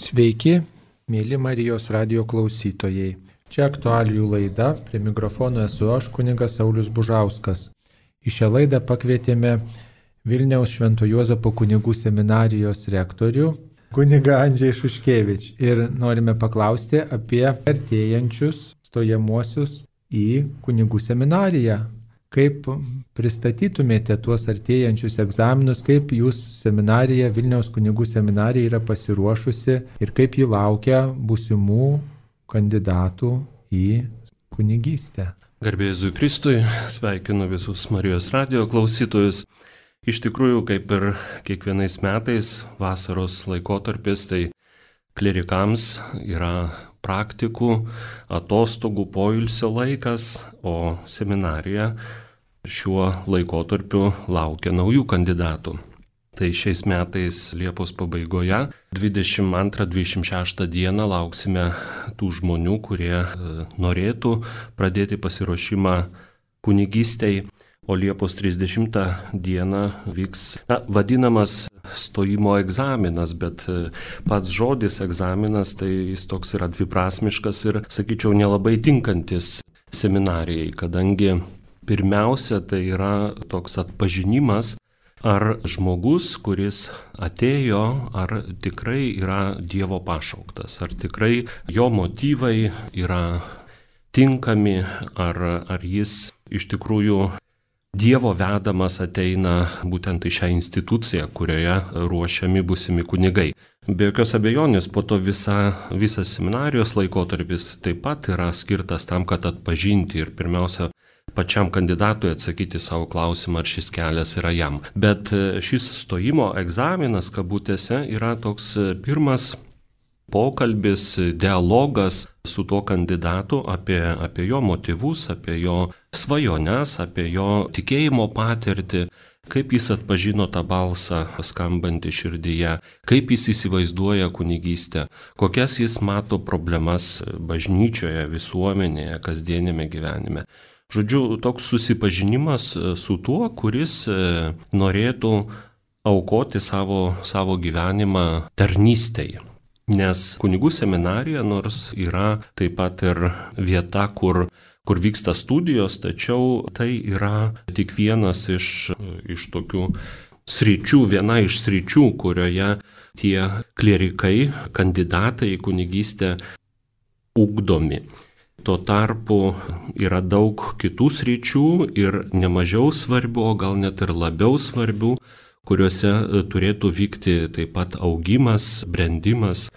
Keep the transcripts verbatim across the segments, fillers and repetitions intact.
Sveiki, mėly Marijos radijo klausytojai. Čia aktualijų laida, prie mikrofono esu aš, kunigas Saulius Bužauskas. Į šią laidą pakvietėme Vilniaus Švento Juozapo kunigų seminarijos rektorių, kunigą Andžej Šuškevič. Ir norime paklausti apie artėjančius stojamuosius į kunigų seminariją. Kaip pristatytumėte tuos artėjančius egzaminus, kaip jūs seminarija, Vilniaus kunigų seminarija yra pasiruošusi ir kaip ji laukia būsimų kandidatų į kunigystę. Garbė Jėzui Kristui, sveikinu visus Marijos radijo klausytojus. Iš tikrųjų, kaip ir kiekvienais metais vasaros laikotarpis, tai klerikams yra praktikų, atostogų, poilsio laikas, o seminarija šiuo laikotarpiu laukia naujų kandidatų. Tai šiais metais Liepos pabaigoje, dvidešimt antrą dvidešimt šeštą dieną lauksime tų žmonių, kurie norėtų pradėti pasiruošimą kunigystei, o Liepos trisdešimtą dieną vyks na, vadinamas stojimo egzaminas, bet pats žodis egzaminas, tai jis toks yra dviprasmiškas ir, sakyčiau, nelabai tinkantis seminarijai, kadangi pirmiausia tai yra toks atpažinimas, ar žmogus, kuris atėjo, ar tikrai yra Dievo pašauktas, ar tikrai jo motyvai yra tinkami, ar, ar jis iš tikrųjų Dievo vedamas ateina būtent į šią instituciją, kurioje ruošiami būsimi kunigai. Be jokios abejonės, po to visa, visas seminarijos laikotarpis taip pat yra skirtas tam, kad atpažinti ir pirmiausia pačiam kandidatui atsakyti savo klausimą, ar šis kelias yra jam. Bet šis stojimo egzaminas, kabutėse, yra toks pirmas pokalbis, dialogas su tuo kandidatu apie, apie jo motyvus, apie jo svajones, apie jo tikėjimo patirtį, kaip jis atpažino tą balsą skambantį širdyje, kaip jis įsivaizduoja kunigystę, kokias jis mato problemas bažnyčioje, visuomenėje, kasdienėme gyvenime. Žodžiu, toks susipažinimas su tuo, kuris norėtų aukoti savo, savo gyvenimą tarnystei. Nes kunigų seminarija nors yra taip pat ir vieta, kur, kur vyksta studijos, tačiau tai yra tik vienas iš, iš tokių sričių, viena iš sričių, kurioje tie klerikai, kandidatai į kunigystę ugdomi. Tuo tarpu yra daug kitų sričių ir nemažiau svarbių, o gal net ir labiau svarbių, kuriuose turėtų vykti taip pat augimas, brendimas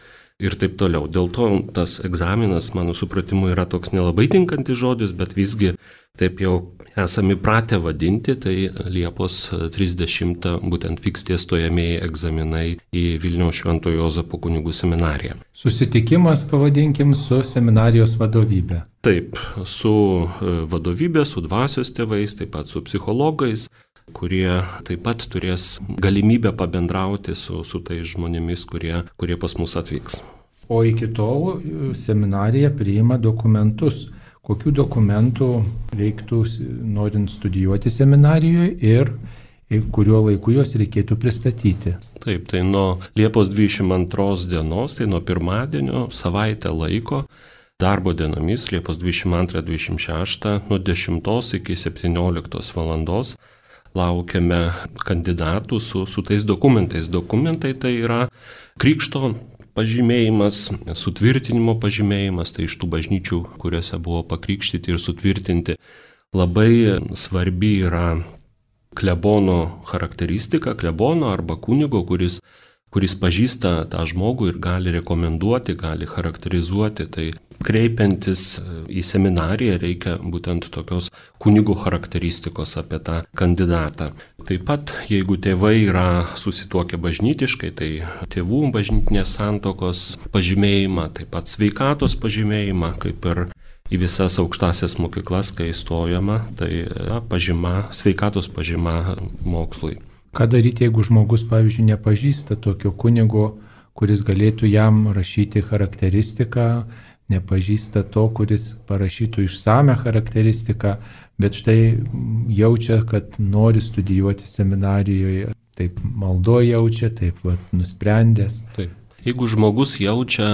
ir taip toliau. Dėl to tas egzaminas, mano supratimu, yra toks nelabai tinkantis žodis, bet visgi taip jau esame pratę vadinti, tai Liepos trisdešimtą būtent vyks tie stojamieji egzaminai į Vilniaus Švento Juozapo kunigų seminariją. Susitikimas, pavadinkim, su seminarijos vadovybė. Taip, su vadovybė, su dvasios tėvais, taip pat su psichologais, kurie taip pat turės galimybę pabendrauti su, su tais žmonėmis, kurie, kurie pas mus atvyks. O iki tol seminarija priima dokumentus. Kokių dokumentų reiktų norint studijuoti seminarijoje ir kuriuo laiku juos reikėtų pristatyti? Taip, tai nuo Liepos dvidešimt antros dienos, tai nuo pirmadienio savaitę laiko, darbo dienomis, Liepos dvidešimt antrą dvidešimt šeštą, nuo dešimtos iki septynioliktos valandos, laukiame kandidatų su, su tais dokumentais. Dokumentai tai yra krikšto pažymėjimas, sutvirtinimo pažymėjimas, tai iš tų bažnyčių, kuriuose buvo pakrikštyti ir sutvirtinti. Labai svarbi yra klebono charakteristika, klebono arba kunigo, kuris, kuris pažįsta tą žmogų ir gali rekomenduoti, gali charakterizuoti. Tai kreipiantis į seminariją reikia būtent tokios kunigo charakteristikos apie tą kandidatą. Taip pat, jeigu tėvai yra susituokę bažnytiškai, tai tėvų bažnytinės santuokos pažymėjimą, taip pat sveikatos pažymėjimą, kaip ir į visas aukštasias mokyklas, kai įstojama, tai pažyma, sveikatos pažyma mokslui. Ką daryti, jeigu žmogus, pavyzdžiui, nepažįsta tokio kunigo, kuris galėtų jam rašyti charakteristiką, nepažįsta to, kuris parašytų išsame charakteristiką, bet štai jaučia, kad nori studijuoti seminarijoje, taip maldo jaučia, taip vat, nusprendęs. Taip. Jeigu žmogus jaučia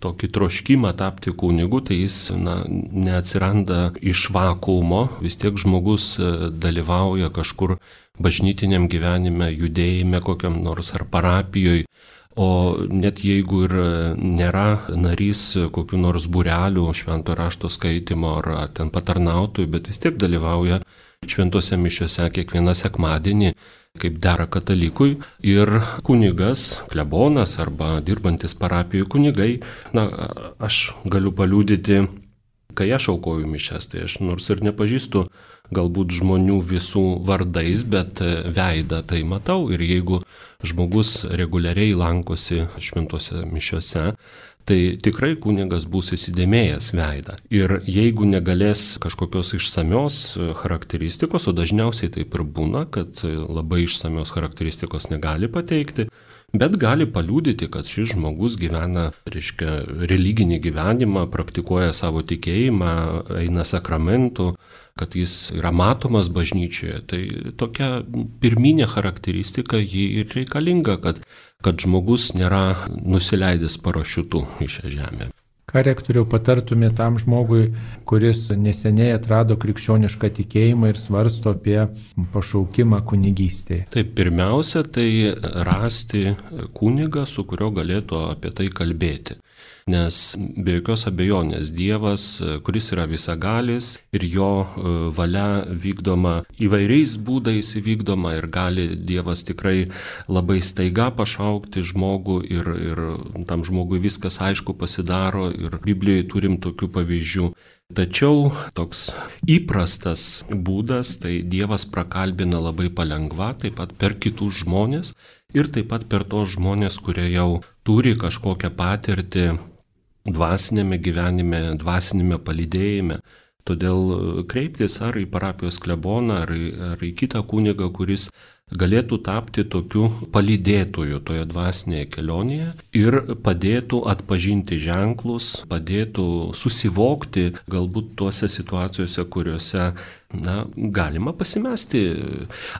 tokį troškimą tapti kunigu, tai jis na, neatsiranda iš vakuumo, vis tiek žmogus dalyvauja kažkur bažnytiniam gyvenime, judėjime kokiam nors ar parapijoje, o net jeigu ir nėra narys kokių nors būrelių, švento rašto skaitimo ar ten patarnautojų, bet vis tiek dalyvauja šventose mišiose kiekvieną sekmadienį, kaip dera katalikui, ir kunigas, klebonas arba dirbantis parapijoje kunigai, na, aš galiu paliudyti, kai aš aukoju mišias, tai aš nors ir nepažįstu galbūt žmonių visų vardais, bet veidą tai matau, ir jeigu žmogus reguliariai lankosi šventose mišiose, tai tikrai kunigas bus įsidėmėjęs veidą. Ir jeigu negalės kažkokios išsamios charakteristikos, o dažniausiai taip ir būna, kad labai išsamios charakteristikos negali pateikti, bet gali paliudyti, kad šis žmogus gyvena, reiškia, religinį gyvenimą, praktikuoja savo tikėjimą, eina sakramentų, kad jis yra matomas bažnyčioje. Tai tokia pirminė charakteristika ji ir reikalinga, kad, kad žmogus nėra nusileidęs parašiutu į šią žemę. Ką rektoriau patartumė tam žmogui, kuris neseniai atrado krikščionišką tikėjimą ir svarsto apie pašaukimą kunigystėje? Taip, pirmiausia, tai rasti kunigą, su kurio galėtų apie tai kalbėti. Nes be jokios abejonės Dievas, kuris yra visagalis ir jo valia vykdoma įvairiais būdais įvykdoma, ir gali Dievas tikrai labai staiga pašaukti žmogų ir, ir tam žmogui viskas aišku pasidaro, ir Biblijoje turim tokių pavyzdžių. Tačiau toks įprastas būdas, tai Dievas prakalbina labai palengva, taip pat per kitus žmonės ir taip pat per tos žmonės, kurie jau turi kažkokią patirtį dvasinėme gyvenime, dvasinėme palydėjime. Todėl kreiptis ar į parapijos kleboną, ar į, ar į kitą kunigą, kuris galėtų tapti tokiu palydėtoju toje dvasinėje kelionėje ir padėtų atpažinti ženklus, padėtų susivokti galbūt tuose situacijose, kuriuose na, galima pasimesti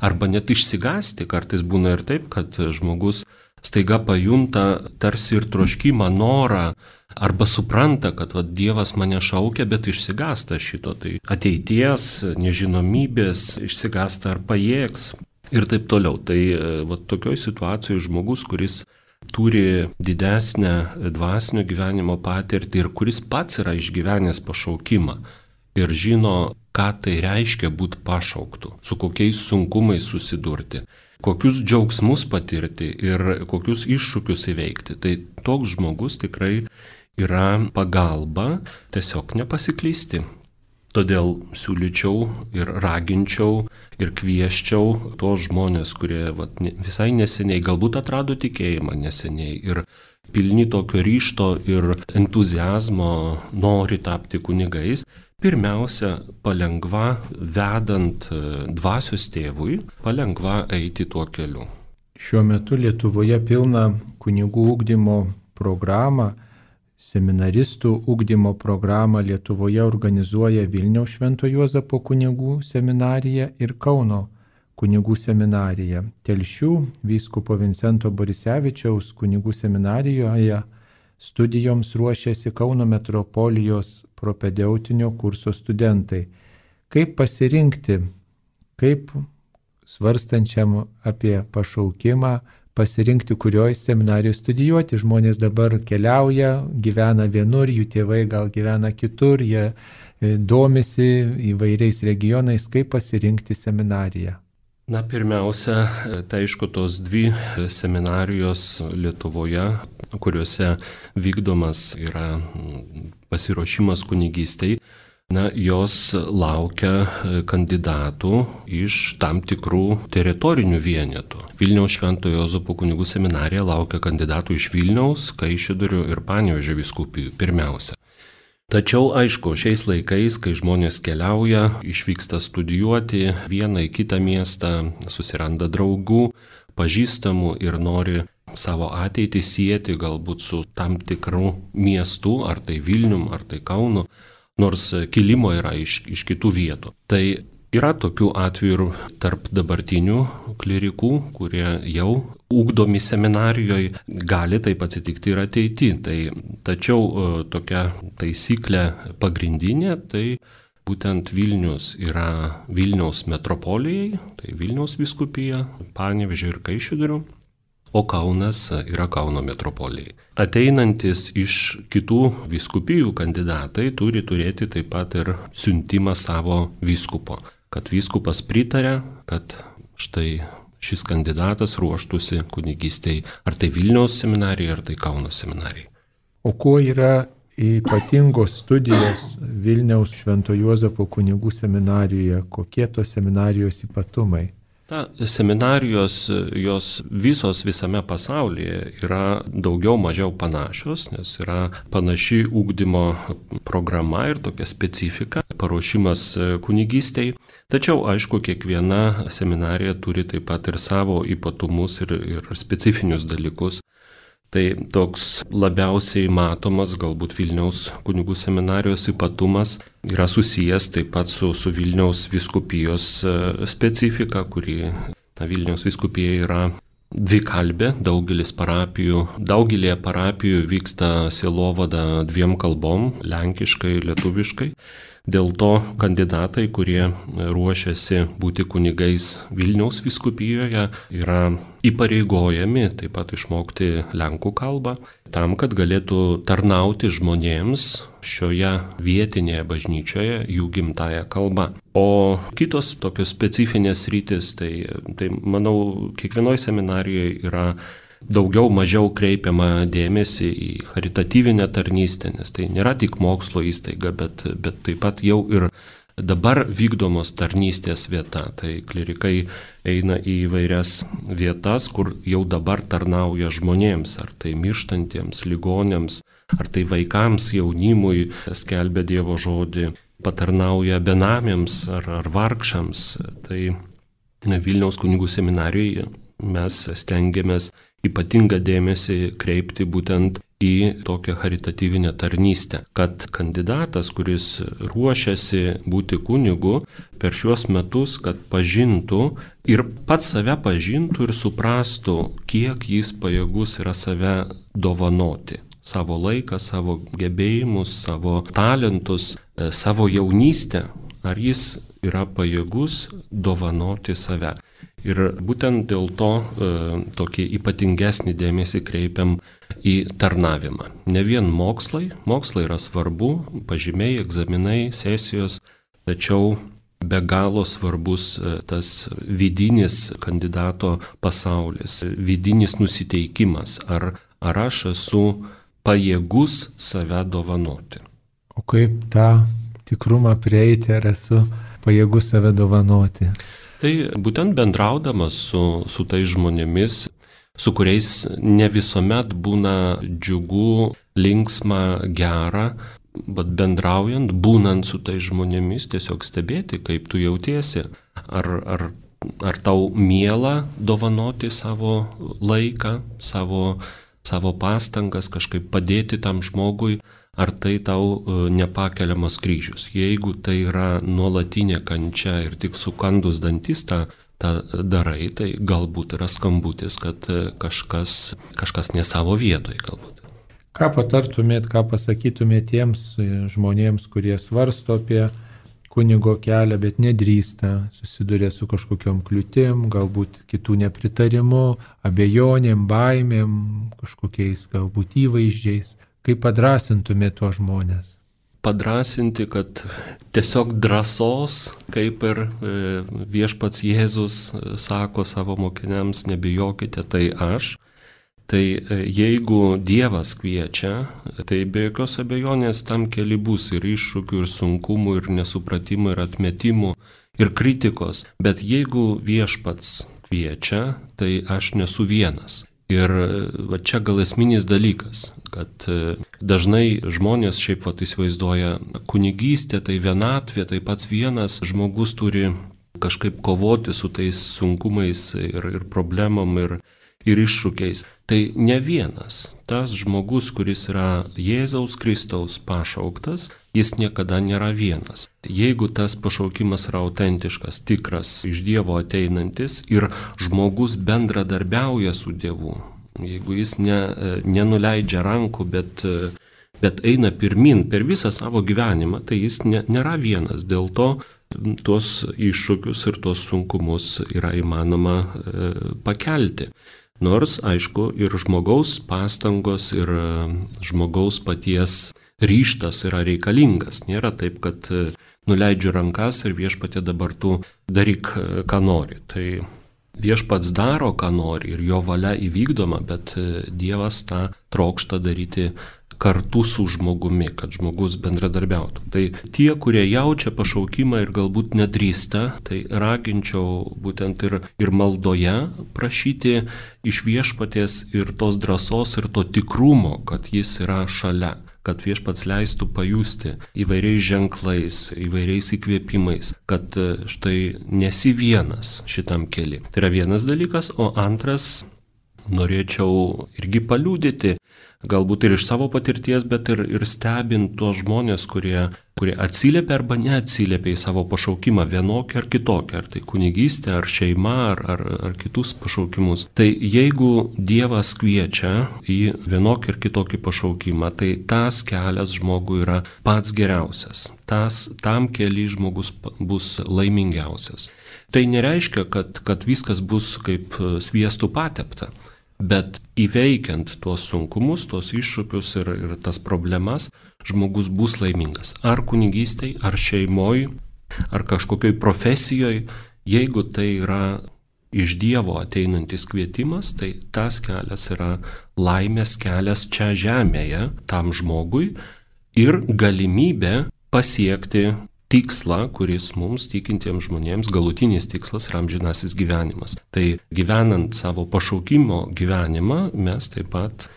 arba net išsigąsti. Kartais būna ir taip, kad žmogus staiga pajunta tarsi ir troškimą, norą, arba supranta, kad va, Dievas mane šaukia, bet išsigąsta šito. Tai ateities, nežinomybės, išsigąsta ar pajėgs ir taip toliau. Tai va, tokioj situacijoje žmogus, kuris turi didesnę dvasinio gyvenimo patirtį ir kuris pats yra išgyvenęs pašaukimą ir žino, ką tai reiškia būti pašauktu, su kokiais sunkumais susidurti, kokius džiaugsmus patirti ir kokius iššūkius įveikti. Tai toks žmogus tikrai yra pagalba tiesiog nepasiklysti. Todėl siūlyčiau ir raginčiau ir kvieščiau tos žmonės, kurie vat, visai neseniai galbūt atrado tikėjimą neseniai ir pilni tokio ryžto ir entuziazmo nori tapti kunigais, pirmiausia, palengva vedant dvasios tėvui, palengva eiti tuo keliu. Šiuo metu Lietuvoje pilna kunigų ugdymo programą. Seminaristų ugdymo programą Lietuvoje organizuoja Vilniaus Švento Juozapo kunigų seminarija ir Kauno kunigų seminarija. Telšių vyskupo Vincento Borisevičiaus kunigų seminarijoje studijoms ruošiasi Kauno metropolijos propedeutinio kurso studentai. Kaip pasirinkti, kaip svarstančiam apie pašaukimą, pasirinkti, kurioje seminarijoje studijuoti. Žmonės dabar keliauja, gyvena vienur, jų tėvai gal gyvena kitur, jie domisi įvairiais regionais, kaip pasirinkti seminariją. Na, pirmiausia, tai aišku, tos dvi seminarijos Lietuvoje, kuriuose vykdomas yra pasiruošimas kunigystei, na, jos laukia kandidatų iš tam tikrų teritorinių vienetų. Vilniaus Švento Juozapo kunigų seminarija laukia kandidatų iš Vilniaus, Kaišiadorių ir Panevėžio vyskupijų pirmiausia. Tačiau, aišku, šiais laikais, kai žmonės keliauja, išvyksta studijuoti vieną į kitą miestą, susiranda draugų, pažįstamų ir nori savo ateitį sieti galbūt su tam tikrų miestų, ar tai Vilnium, ar tai Kaunu, nors kilimo yra iš, iš kitų vietų. Tai yra tokių atvejų tarp dabartinių klerikų, kurie jau ugdomi seminarijoje, gali taip atsitikti ir ateityje. Tai, tačiau tokia taisyklė pagrindinė, tai būtent Vilnius yra Vilniaus metropolijai, tai Vilniaus vyskupija, Panevėžio ir Kaišiadorių, o Kaunas yra Kauno metropolijai. Ateinantis iš kitų vyskupijų kandidatai turi turėti taip pat ir siuntimą savo vyskupo, kad vyskupas pritarė, kad štai šis kandidatas ruoštųsi kunigystei, ar tai Vilniaus seminarijai, ar tai Kauno seminarijai. O kuo yra ypatingos studijos Vilniaus Švento Juozapo kunigų seminarijoje? Kokie tos seminarijos ypatumai? Ta, seminarijos, jos visos visame pasaulyje yra daugiau mažiau panašios, nes yra panaši ūkdymo programa ir tokia specifika, paruošimas kunigystei. Tačiau, aišku, kiekviena seminarija turi taip pat ir savo ypatumus ir, ir specifinius dalykus. Tai toks labiausiai matomas galbūt Vilniaus kunigų seminarijos ypatumas yra susijęs taip pat su, su Vilniaus vyskupijos specifika, kuri na, Vilniaus vyskupija yra dvikalbė, daugelis parapijų, daugelėje parapijų vyksta sielovada dviem kalbom, lenkiškai ir lietuviškai. Dėl to kandidatai, kurie ruošiasi būti kunigais Vilniaus vyskupijoje, yra įpareigojami taip pat išmokti lenkų kalbą, tam, kad galėtų tarnauti žmonėms šioje vietinėje bažnyčioje jų gimtąją kalbą. O kitos tokios specifinės rytis, tai, tai manau, kiekvienoje seminarijoje yra daugiau mažiau kreipiama dėmesį į charitatyvinę tarnystę, nes tai nėra tik mokslo įstaiga, bet, bet taip pat jau ir dabar vykdomos tarnystės vieta. Tai klerikai eina į įvairias vietas, kur jau dabar tarnauja žmonėms, ar tai mirštantiems, ligonėms, ar tai vaikams, jaunimui, skelbia Dievo žodį, patarnauja benamiams ar, ar vargšams. Tai Vilniaus kunigų seminarijoje mes stengiamės ypatingą dėmesį kreipti būtent į tokią charitatyvinę tarnystę, kad kandidatas, kuris ruošiasi būti kunigu, per šiuos metus, kad pažintų ir pats save pažintų ir suprastų, kiek jis pajėgus yra save dovanoti. Savo laiką, savo gebėjimus, savo talentus, savo jaunystę, ar jis yra pajėgus dovanoti save. Ir būtent dėl to e, tokį ypatingesnį dėmesį kreipiam į tarnavimą. Ne vien mokslai, mokslai yra svarbu, pažymiai, egzaminai, sesijos, tačiau be galo svarbus e, tas vidinis kandidato pasaulis, vidinis nusiteikimas, ar, ar aš esu pajėgus save dovanoti. O kaip tą tikrumą prieiti, ar esu pajėgus save dovanoti? Tai būtent bendraudamas su, su tais žmonėmis, su kuriais ne visuomet būna džiugu, linksma, gera, bet bendraujant, būnant su tais žmonėmis, tiesiog stebėti, kaip tu jautiesi. Ar, ar, ar tau miela dovanoti savo laiką, savo, savo pastangas, kažkaip padėti tam žmogui, ar tai tau nepakeliamas kryžius. Jeigu tai yra nuolatinė kančia ir tik sukandus dantis tą, tą darai, tai galbūt yra skambutis, kad kažkas, kažkas ne savo vietoje galbūt. Ką patartumėt, ką pasakytumėt tiems žmonėms, kurie svarsto apie kunigo kelią, bet nedrįsta, susiduria su kažkokiom kliūtim, galbūt kitų nepritarimu, abejonėm, baimėm, kažkokiais galbūt įvaizdžiais? Kaip padrasintumėte tuos žmonės? Padrasinti, kad tiesiog drąsos, kaip ir viešpats Jėzus sako savo mokiniams, nebijokite, tai aš. Tai jeigu Dievas kviečia, tai be jokios abejonės tam keli bus ir iššūkių, ir sunkumų, ir nesupratimų, ir atmetimų, ir kritikos. Bet jeigu viešpats kviečia, tai aš nesu vienas. Ir va čia gal esminis dalykas, kad dažnai žmonės šiaip va įsivaizduoja kunigystę, tai vienatvė, tai pats vienas žmogus turi kažkaip kovoti su tais sunkumais ir, ir problemom ir, ir iššūkiais. Tai ne vienas. Tas žmogus, kuris yra Jėzaus Kristaus pašauktas, jis niekada nėra vienas. Jeigu tas pašaukimas yra autentiškas, tikras, iš Dievo ateinantis ir žmogus bendradarbiauja su Dievu, jeigu jis ne, nenuleidžia rankų, bet, bet eina pirmin per visą savo gyvenimą, tai jis ne, nėra vienas. Dėl to tuos iššūkius ir tuos sunkumus yra įmanoma e, pakelti. Nors, aišku, ir žmogaus pastangos, ir žmogaus paties ryštas yra reikalingas. Nėra taip, kad nuleidžiu rankas ir viešpatie dabar tu daryk, ką nori. Tai viešpats daro, ką nori ir jo valia įvykdoma, bet Dievas tą trokšta daryti kartu su žmogumi, kad žmogus bendradarbiautų. Tai tie, kurie jaučia pašaukimą ir galbūt nedrįsta, tai raginčiau būtent ir, ir maldoje prašyti iš viešpaties ir tos drąsos ir to tikrumo, kad jis yra šalia, kad viešpats leistų pajusti įvairiais ženklais, įvairiais įkvėpimais, kad štai nesi vienas šitam keli. Tai yra vienas dalykas, o antras, norėčiau irgi paliudyti, galbūt ir iš savo patirties, bet ir, ir stebint tuos žmonės, kurie, kurie atsiliepia arba neatsiliepia į savo pašaukimą vienokį ar kitokį, ar tai kunigystė, ar šeima, ar, ar, ar kitus pašaukimus. Tai jeigu Dievas kviečia į vienokį ar kitokį pašaukimą, tai tas kelias žmogui yra pats geriausias. Tas, tam keli žmogus bus laimingiausias. Tai nereiškia, kad, kad viskas bus kaip sviestų patepta. Bet įveikiant tuos sunkumus, tuos iššūkius ir, ir tas problemas, žmogus bus laimingas. Ar kunigystėj, ar šeimoj, ar kažkokioj profesijoj, jeigu tai yra iš Dievo ateinantis kvietimas, tai tas kelias yra laimės kelias čia žemėje tam žmogui ir galimybė pasiekti tikslą, kuris mums tikintiems žmonėms galutinis tikslas yra amžinasis gyvenimas. Tai gyvenant savo pašaukimo gyvenimą, mes taip pat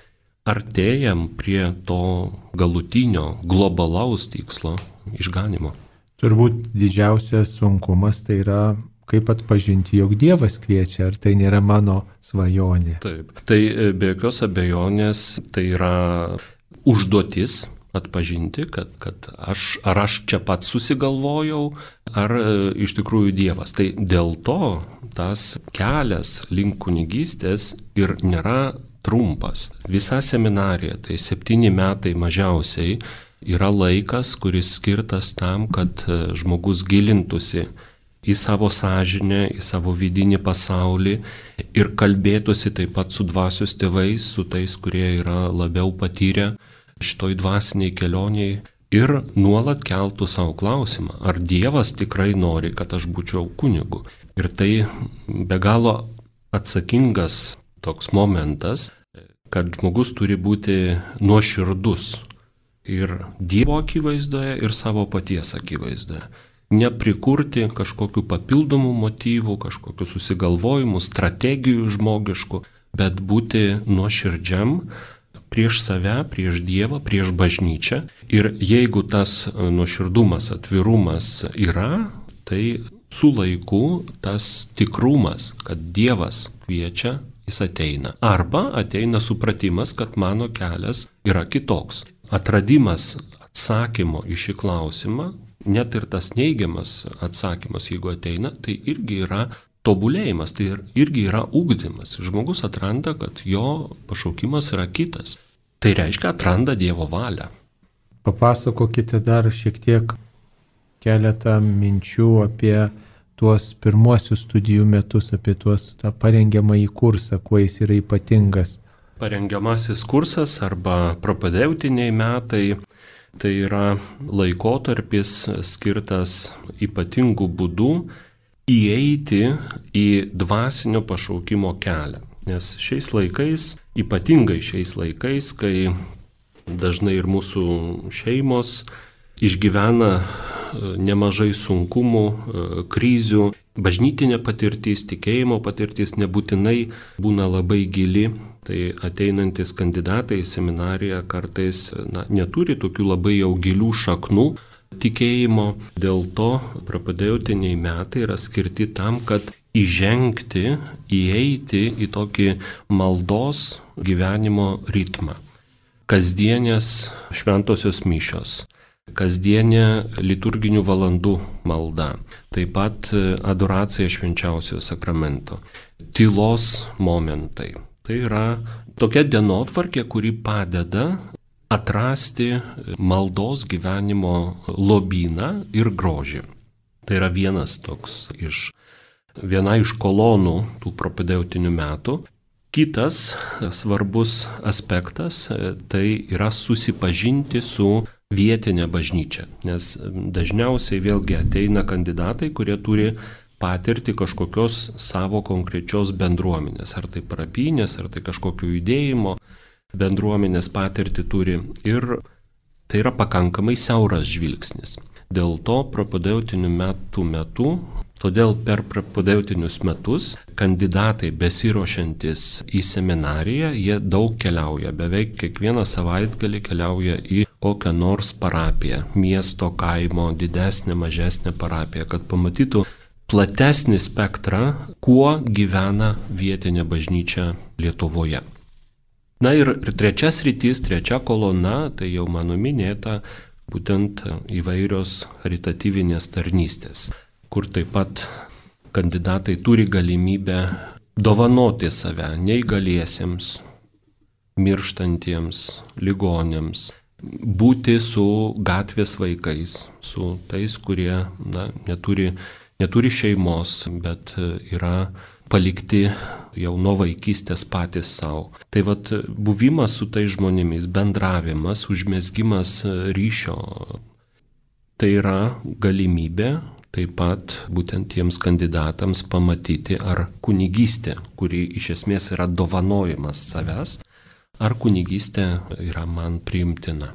artėjam prie to galutinio, globalaus tikslo išganimo. Turbūt didžiausias sunkumas tai yra, kaip atpažinti, jog Dievas kviečia, ar tai nėra mano svajonė. Taip, tai be jokios abejonės tai yra užduotis, atpažinti, kad, kad aš, ar aš čia pats susigalvojau, ar e, iš tikrųjų Dievas. Tai dėl to tas kelias link kunigystės ir nėra trumpas. Visa seminarija, tai septyni metai mažiausiai, yra laikas, kuris skirtas tam, kad žmogus gilintųsi į savo sąžinę, į savo vidinį pasaulį ir kalbėtųsi taip pat su dvasios tėvais, su tais, kurie yra labiau patyrę šitoj dvasiniai kelioniai ir nuolat keltų savo klausimą, ar Dievas tikrai nori, kad aš būčiau kunigu. Ir tai be galo atsakingas toks momentas, kad žmogus turi būti nuoširdus ir Dievo akivaizdoje, ir savo paties akivaizdoje. Neprikurti kažkokių papildomų motyvų, kažkokių susigalvojimų, strategijų žmogiškų, bet būti nuoširdžiam prieš save, prieš Dievą, prieš bažnyčią. Ir jeigu tas nuoširdumas, atvirumas yra, tai su laiku tas tikrumas, kad Dievas kviečia, jis ateina. Arba ateina supratimas, kad mano kelias yra kitoks. Atradimas atsakymo į šį klausimą, net ir tas neigiamas atsakymas, jeigu ateina, tai irgi yra tobulėjimas, tai irgi yra ugdymas. Žmogus atranda, kad jo pašaukimas yra kitas. Tai reiškia, atranda Dievo valią. Papasakokite dar šiek tiek keletą minčių apie tuos pirmuosius studijų metus, apie tuos tą parengiamąjį kursą, kuo jis yra ypatingas. Parengiamasis kursas arba propedeutiniai metai tai yra laikotarpis skirtas ypatingų būdų įeiti į dvasinio pašaukimo kelią. Nes šiais laikais, ypatingai šiais laikais, kai dažnai ir mūsų šeimos išgyvena nemažai sunkumų, krizių, bažnytinė patirtis, tikėjimo patirtis nebūtinai būna labai gili, tai ateinantis kandidatai į seminariją kartais na, neturi tokių labai jau gilių šaknų tikėjimo. Dėl to propedeutiniai metai yra skirti tam, kad įžengti, įeiti į tokį maldos gyvenimo ritmą. Kasdienės šventosios mišios, kasdienė liturginių valandų malda, taip pat adoracija švenčiausiojo sakramento, tylos momentai. Tai yra tokia dienotvarkė, kuri padeda atrasti maldos gyvenimo lobyną ir grožį. Tai yra vienas toks iš, viena iš kolonų tų propedeutinių metų. Kitas svarbus aspektas tai yra susipažinti su vietinė bažnyčia, nes dažniausiai vėlgi ateina kandidatai, kurie turi patirti kažkokios savo konkrečios bendruomenės, ar tai parapinės, ar tai kažkokio judėjimo bendruomenės patirti turi, ir tai yra pakankamai siauras žvilgsnis. Dėl to propedeutinių metų metu, todėl per propedeutinius metus kandidatai besiruošiantis į seminariją, jie daug keliauja, beveik kiekvieną savaitgalį keliauja į kokią nors parapiją, miesto, kaimo, didesnę, mažesnę parapiją, kad pamatytų platesnį spektrą, kuo gyvena vietinė bažnyčia Lietuvoje. Na ir trečia sritis, trečia kolona, tai jau mano minėta, būtent įvairios charitatyvinės tarnystės, kur taip pat kandidatai turi galimybę dovanoti save neįgaliesiems, mirštantiems, ligonėms, būti su gatvės vaikais, su tais, kurie na, neturi, neturi šeimos, bet yra palikti jau nuo vaikystės patys savo. Tai vat buvimas su tais žmonėmis, bendravimas, užmezgimas ryšio, tai yra galimybė taip pat būtent tiems kandidatams pamatyti, ar kunigystė, kuri iš esmės yra dovanojimas savęs, ar kunigystė yra man priimtina.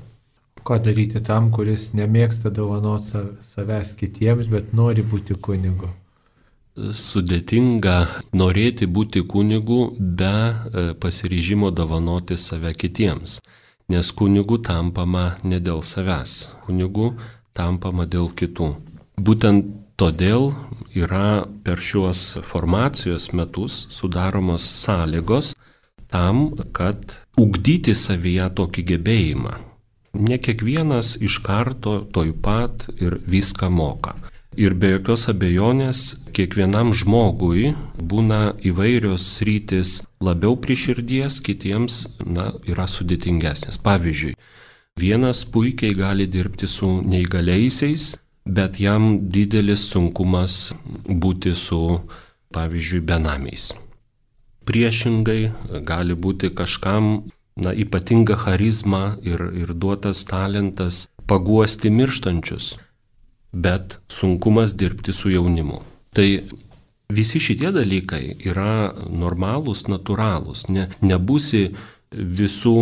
Ką daryti tam, kuris nemėgsta dovanoti savęs kitiems, bet nori būti kunigu? Sudėtinga norėti būti kunigu be pasiryžimo dovanoti save kitiems, nes kunigu tampama ne dėl savęs, kunigu tampama dėl kitų. Būtent todėl yra per šiuos formacijos metus sudaromos sąlygos tam, kad ugdyti savyje tokį gebėjimą. Ne kiekvienas iš karto toj pat ir viską moka. Ir be jokios abejonės kiekvienam žmogui būna įvairios sritis labiau prie širdies, kitiems na, yra sudėtingesnės. Pavyzdžiui, vienas puikiai gali dirbti su neįgaliaisiais, bet jam didelis sunkumas būti su, pavyzdžiui, benamiais. Priešingai gali būti kažkam na, ypatinga charizma ir, ir duotas talentas paguosti mirštančius, bet sunkumas dirbti su jaunimu. Tai visi šitie dalykai yra normalūs, natūralūs, ne, nebūsi visų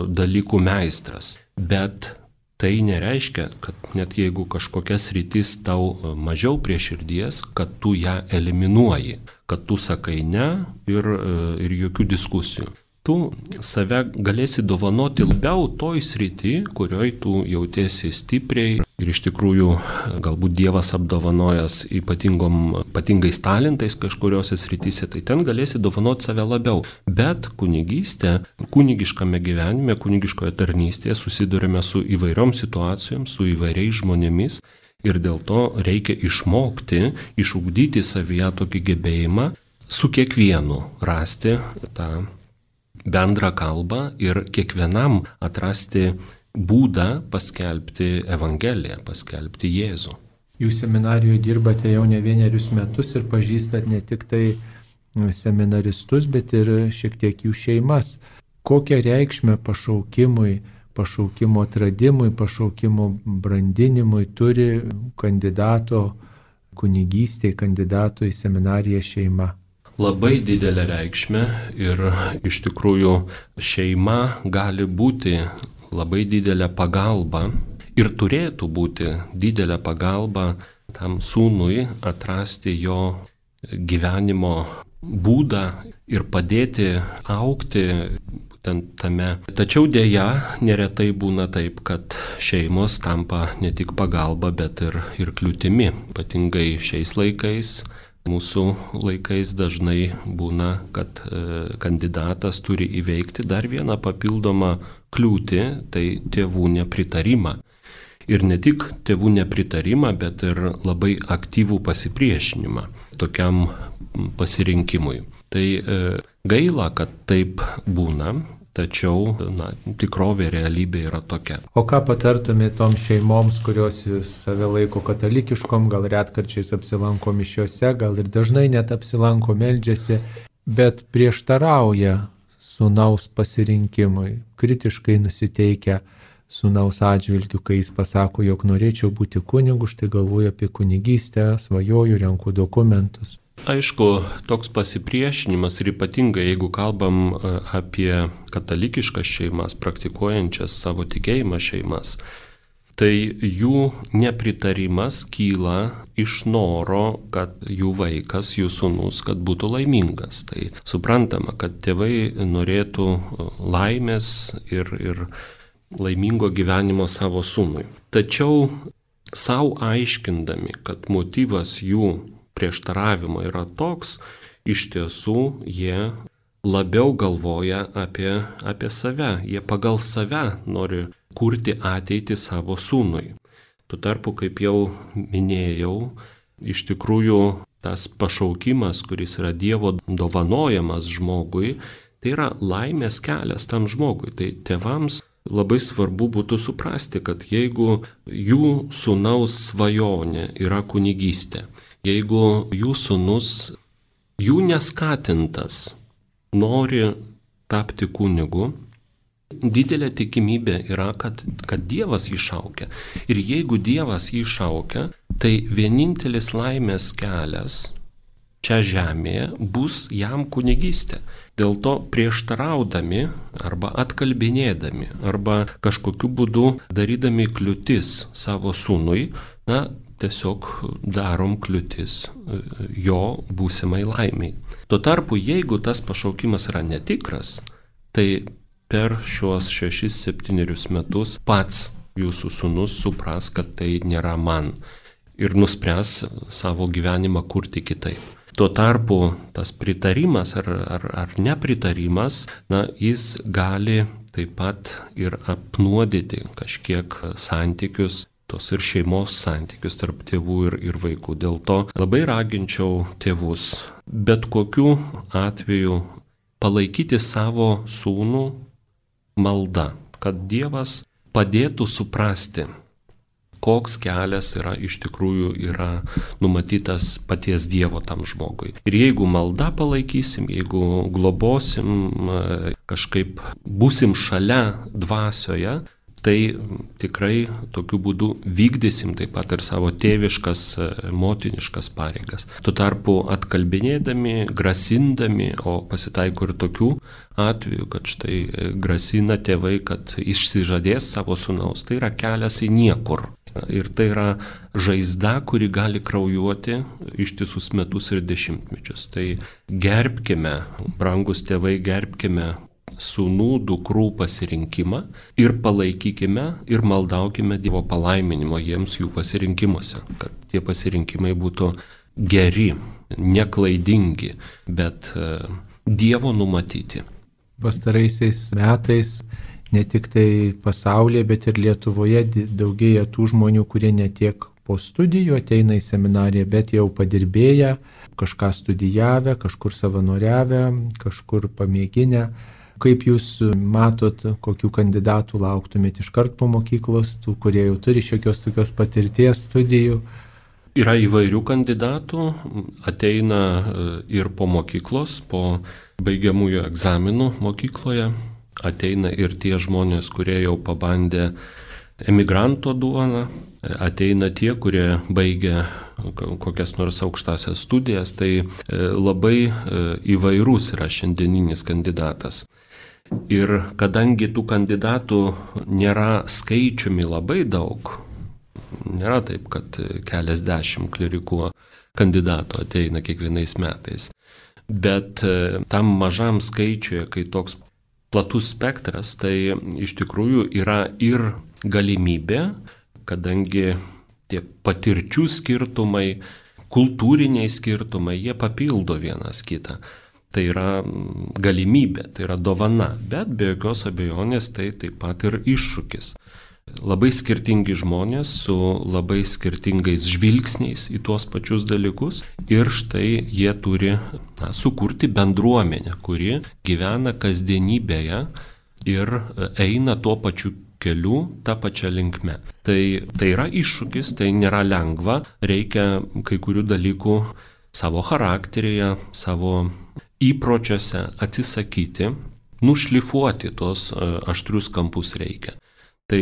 dalykų meistras, bet tai nereiškia, kad net jeigu kažkokia sritis tau mažiau prie širdies, kad tu ją eliminuoji, kad tu sakai ne ir, ir jokių diskusijų. Tu save galėsi dovanoti labiau toj srity, kurioj tu jautiesi stipriai ir iš tikrųjų galbūt Dievas apdovanojęs ypatingom, ypatingais talentais kažkuriuose srityse, tai ten galėsi dovanoti save labiau. Bet kunigystė, kunigiškame gyvenime, kunigiškoje tarnystėje susidurime su įvairiom situacijom, su įvairiais žmonėmis ir dėl to reikia išmokti, išugdyti savyje tokį gebėjimą su kiekvienu rasti tą bendrą kalbą ir kiekvienam atrasti būdą paskelbti Evangeliją, paskelbti Jėzų. Jūs seminarijoje dirbate jau ne vienerius metus ir pažįstat ne tik tai seminaristus, bet ir šiek tiek jų šeimas. Kokią reikšmę pašaukimui, pašaukimo atradimui, pašaukimo brandinimui turi kandidato kunigystėje, kandidato į seminariją šeima? Labai didelę reikšmę ir iš tikrųjų šeima gali būti labai didelė pagalba ir turėtų būti didelė pagalba tam sūnui atrasti jo gyvenimo būdą ir padėti augti būtent tame. Tačiau dėja neretai būna taip, kad šeimos tampa ne tik pagalba, bet ir, ir kliūtimi, ypatingai šiais laikais. Mūsų laikais dažnai būna, kad e, kandidatas turi įveikti dar vieną papildomą kliūtį, tai tėvų nepritarimą. ir ne tik tėvų nepritarimą, bet ir labai aktyvų pasipriešinimą tokiam pasirinkimui. Tai e, gaila, kad taip būna, tačiau na, tikrovė, realybė yra tokia. O ką patartumėte toms šeimoms, kurios save laiko katalikiškom, gal retkarčiais apsilanko mišiuose, gal ir dažnai net apsilanko, meldžiasi, bet prieštarauja sūnaus pasirinkimui, kritiškai nusiteikia sūnaus atžvilgiu, kai jis pasako, jog norėčiau būti kunigu, štai galvoju apie kunigystę, svajoju, renku dokumentus. Aišku, toks pasipriešinimas ir ypatingai, jeigu kalbam apie katalikiškas šeimas, praktikuojančias savo tikėjimą šeimas, tai jų nepritarimas kyla iš noro, kad jų vaikas, jų sūnus, kad būtų laimingas. Tai suprantama, kad tėvai norėtų laimės ir, ir laimingo gyvenimo savo sūnui. Tačiau savo aiškindami, kad motyvas jų prieštaravimo yra toks, iš tiesų jie labiau galvoja apie, apie save. Jie pagal save nori kurti ateitį savo sūnui. Tuo tarpu, kaip jau minėjau, iš tikrųjų tas pašaukimas, kuris yra Dievo dovanojamas žmogui, tai yra laimės kelias tam žmogui. Tai tėvams labai svarbu būtų suprasti, kad jeigu jų sūnaus svajonė yra kunigystė, jeigu jų sūnus, jų neskatintas, nori tapti kunigu, didelė tikimybė yra, kad, kad Dievas jį šaukia. Ir jeigu Dievas jį šaukia, tai vienintelis laimės kelias čia žemėje bus jam kunigystė. Dėl to prieštaraudami arba atkalbinėdami arba kažkokiu būdu darydami kliūtis savo sūnui, na, tiesiog darom kliūtis jo būsimai laimiai. Tuo tarpu, jeigu tas pašaukimas yra netikras, tai per šios šešis septynerius metus pats jūsų sūnus supras, kad tai nėra man ir nuspręs savo gyvenimą kurti kitaip. Tuo tarpu tas pritarimas ar, ar, ar nepritarimas, na, jis gali taip pat ir apnuodyti kažkiek santykius, tos ir šeimos santykius tarp tėvų ir, ir vaikų. Dėl to labai raginčiau tėvus bet kokiu atveju palaikyti savo sūnų malda, kad Dievas padėtų suprasti, koks kelias yra iš tikrųjų yra numatytas paties Dievo tam žmogui. Ir jeigu malda palaikysim, jeigu globosim, kažkaip būsim šalia dvasioje, tai tikrai tokiu būdu vykdysim taip pat ir savo tėviškas, motiniškas pareigas. Tuo tarpu atkalbinėdami, grasindami, o pasitaiko ir tokių atvejų, kad štai grasina tėvai, kad išsižadės savo sūnaus, tai yra kelias į niekur. Ir tai yra žaizda, kuri gali kraujuoti ištisus metus ir dešimtmečius. Tai gerbkime, brangus tėvai, gerbkime sūnų, dukrų pasirinkimą ir palaikykime ir maldaukime Dievo palaiminimo jiems jų pasirinkimuose, kad tie pasirinkimai būtų geri, neklaidingi, bet Dievo numatyti. Pastaraisiais metais ne tik tai pasaulyje, bet ir Lietuvoje daugėja tų žmonių, kurie ne tiek po studijų ateina į seminariją, bet jau padirbėję, kažką studijavę, kažkur savanoriavę, kažkur pamėginę. Kaip jūs matot, kokių kandidatų lauktumėte iškart po mokyklos, tų, kurie jau turi šiokios tokios patirties studijų? Yra įvairių kandidatų, ateina ir po mokyklos, po baigiamųjų egzaminų mokykloje, ateina ir tie žmonės, kurie jau pabandė emigranto duoną, ateina tie, kurie baigia kokias nors aukštasias studijas, tai labai įvairus yra šiandieninis kandidatas. Ir kadangi tų kandidatų nėra skaičiumi labai daug, nėra taip, kad keliasdešimt klerikų kandidatų ateina kiekvienais metais, bet tam mažam skaičiuje, kai toks platus spektras, tai iš tikrųjų yra ir galimybė, kadangi tie patirčių skirtumai, kultūriniai skirtumai, jie papildo vienas kitą. Tai yra galimybė, tai yra dovana, bet be jokios abejonės tai taip pat ir iššūkis. labai skirtingi žmonės su labai skirtingais žvilgsniais į tuos pačius dalykus ir štai jie turi na, sukurti bendruomenę, kuri gyvena kasdienybėje ir eina tuo pačiu keliu, tą pačią linkmę. Tai, tai yra iššūkis, tai nėra lengva, reikia kai kurių dalykų savo charakteryje, savo įpročiuose atsisakyti, nušlifuoti tos aštrius kampus reikia. Tai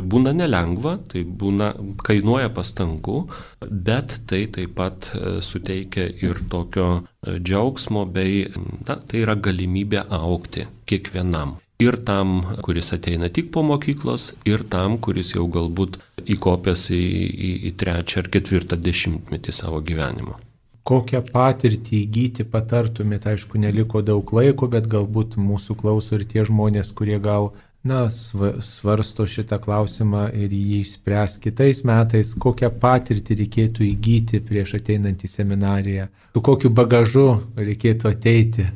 būna nelengva, tai būna, kainuoja pastangų, bet tai taip pat suteikia ir tokio džiaugsmo bei, na, tai yra galimybė augti kiekvienam. Ir tam, kuris ateina tik po mokyklos, ir tam, kuris jau galbūt įkopęs į, į, į trečią ar ketvirtą dešimtmetį savo gyvenimo. Kokią patirtį įgyti patartumėte, aišku, neliko daug laiko, bet galbūt mūsų klauso ir tie žmonės, kurie gal na, svarsto šitą klausimą ir jį išspręs kitais metais, kokią patirtį reikėtų įgyti prieš ateinant į seminariją, su kokiu bagažu reikėtų ateiti.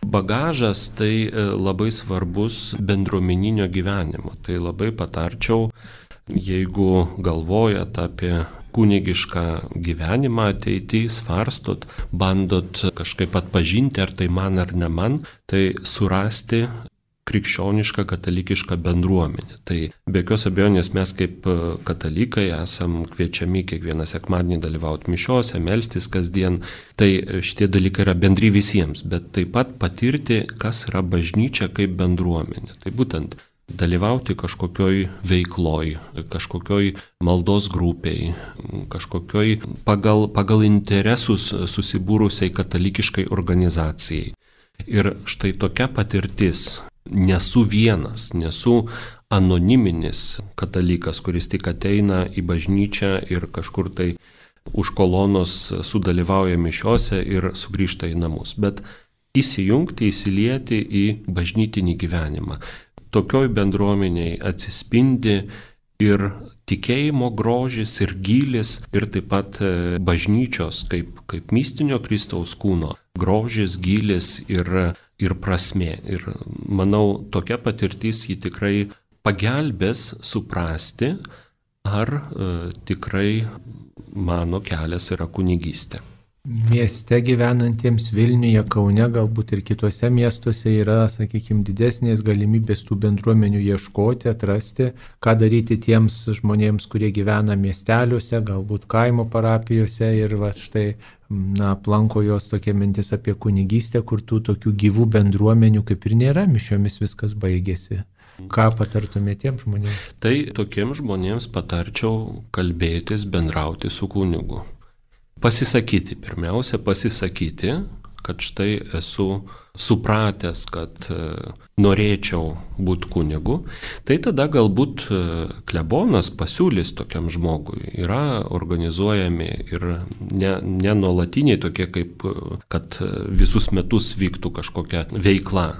Bagažas tai labai svarbus bendruomeninio gyvenimo. Tai labai patarčiau, jeigu galvojat apie kunigišką gyvenimą ateityje, svarstot, bandot kažkaip atpažinti, ar tai man ar ne man, tai surasti krikščionišką katalikišką bendruomenę. Tai be jokios abejonės mes kaip katalikai esam kviečiami kiekvieną sekmadienį dalyvauti mišiose, melstis kasdien. Tai šitie dalykai yra bendri visiems, bet taip pat patirti, kas yra bažnyčia kaip bendruomenė. Tai būtent dalyvauti kažkokioj veikloj, kažkokioj maldos grupiai, kažkokioj pagal, pagal interesus susibūrusiai katalikiškai organizacijai. Ir štai tokia patirtis. Nesu vienas, nesu anoniminis katalikas, kuris tik ateina į bažnyčią ir kažkur tai už kolonos sudalyvauja mišiose ir sugrįžta į namus, bet įsijungti, įsilieti į bažnytinį gyvenimą. Tokioj bendruomeniai atsispindi ir tikėjimo grožis, ir gylis, ir taip pat bažnyčios kaip, kaip mistinio Kristaus kūno grožis, gylis ir ir prasmė. Ir manau, tokia patirtis jį tikrai pagelbės suprasti, ar e, tikrai mano kelias yra kunigystė. Mieste gyvenantiems Vilniuje, Kaune, galbūt ir kitose miestuose yra, sakykime, didesnės galimybės tų bendruomenių ieškoti, atrasti, ką daryti tiems žmonėms, kurie gyvena miesteliuose, galbūt kaimo parapijose ir va štai na, aplanko jos tokia mintis apie kunigystę, kur tų tokių gyvų bendruomenių kaip ir nėra, mišiomis viskas baigėsi. Ką patartumėte tiems žmonėms? Tai tokiems žmonėms patarčiau kalbėtis, bendrauti su kunigu. Pasisakyti, pirmiausia, pasisakyti, kad štai esu supratęs, kad norėčiau būti kunigu, tai tada galbūt klebonas pasiūlys tokiam žmogui. Yra organizuojami ir ne, ne nuolatiniai tokie, kaip kad visus metus vyktų kažkokia veikla.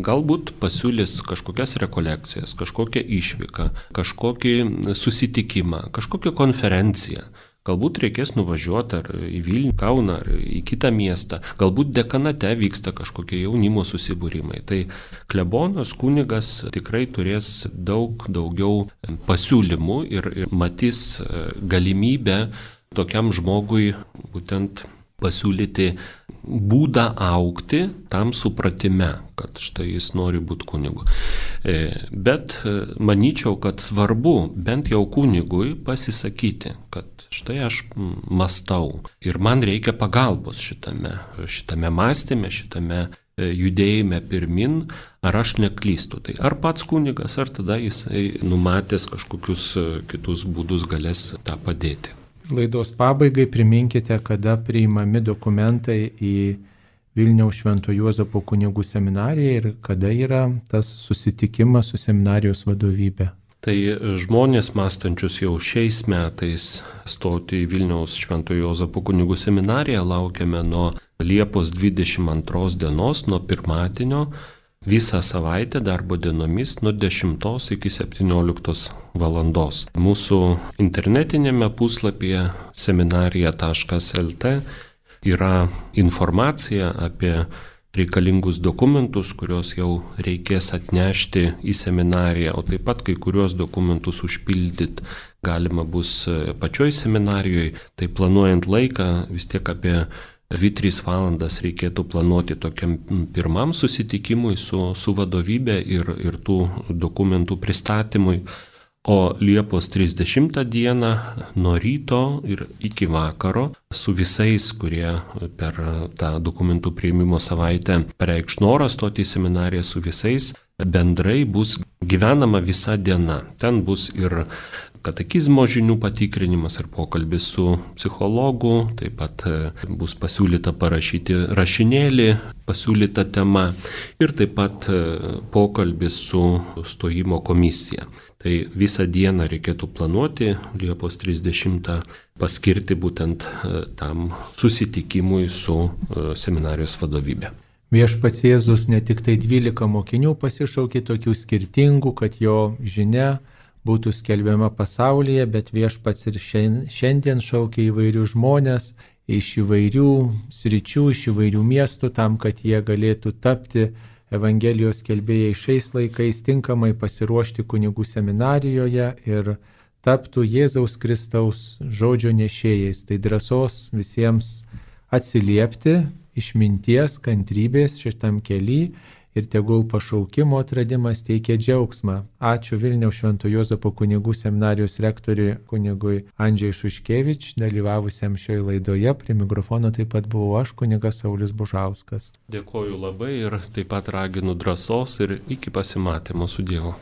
Galbūt pasiūlys kažkokias rekolekcijas, kažkokią išvyką, kažkokį susitikimą, kažkokią konferenciją. Galbūt reikės nuvažiuoti ar į Vilnių, Kauną, ar į kitą miestą. Galbūt dekanate vyksta kažkokie jaunimo susibūrimai. Tai klebonas, kunigas tikrai turės daug daugiau pasiūlymų ir, ir matys galimybę tokiam žmogui būtent pasiūlyti būdą augti tam supratime, kad štai jis nori būti kunigu. Bet manyčiau, kad svarbu bent jau kunigui pasisakyti, kad štai aš mąstau ir man reikia pagalbos šitame, šitame mąstyme, šitame judėjime pirmin, ar aš neklystu. Tai ar pats kunigas, ar tada jisai numatęs kažkokius kitus būdus galės tą padėti. Laidos pabaigai priminkite, kada priimami dokumentai į Vilniaus Švento Juozapo kunigų seminariją ir kada yra tas susitikimas su seminarijos vadovybė. Tai žmonės mąstančius jau šiais metais stoti į Vilniaus Švento Juozapo kunigų seminariją laukiame nuo Liepos dvidešimt antros dienos, nuo pirmadienio, visą savaitę darbo dienomis nuo dešimtos iki septynioliktos valandos. Mūsų internetinėme puslapyje seminarija taškas el tė yra informacija apie reikalingus dokumentus, kuriuos jau reikės atnešti į seminariją, o taip pat kai kuriuos dokumentus užpildyti galima bus pačioj seminarijoje. Tai planuojant laiką vis tiek apie dvi tris valandas reikėtų planuoti tokiam pirmam susitikimui su, su vadovybė ir, ir tų dokumentų pristatymui. O Liepos trisdešimtą dieną nuo ryto ir iki vakaro su visais, kurie per tą dokumentų priėmimo savaitę pareikš norą stoti į seminariją, su visais bendrai bus gyvenama visa diena. Ten bus ir katekizmo žinių patikrinimas ir pokalbis su psichologu, taip pat bus pasiūlyta parašyti rašinėlį, pasiūlyta tema ir taip pat pokalbis su stojimo komisija. Tai visą dieną reikėtų planuoti, Liepos trisdešimtą paskirti būtent tam susitikimui su seminarijos vadovybė. Viešpats Jėzus ne tik tai dvylika mokinių pasišaukė tokių skirtingų, kad jo žinia būtų skelbiama pasaulyje, bet viešpats ir šiandien šaukia įvairių žmonės iš įvairių sričių, iš įvairių miestų, tam, kad jie galėtų tapti Evangelijos skelbėjai šiais laikais, tinkamai pasiruošti kunigų seminarijoje ir taptų Jėzaus Kristaus žodžio nešėjais. Tai drąsos visiems atsiliepti, išminties, kantrybės šitam kely. Ir tegul pašaukimo atradimas teikia džiaugsmą. Ačiū Vilniaus Švento Juozapo kunigų seminarijos rektoriui kunigui Andžiai Šuškevič, dalyvavusiam šioje laidoje. Prie mikrofono taip pat buvau aš, kunigas Saulius Bužauskas. Dėkoju labai ir taip pat raginu drąsos ir iki pasimatymo su Dievu.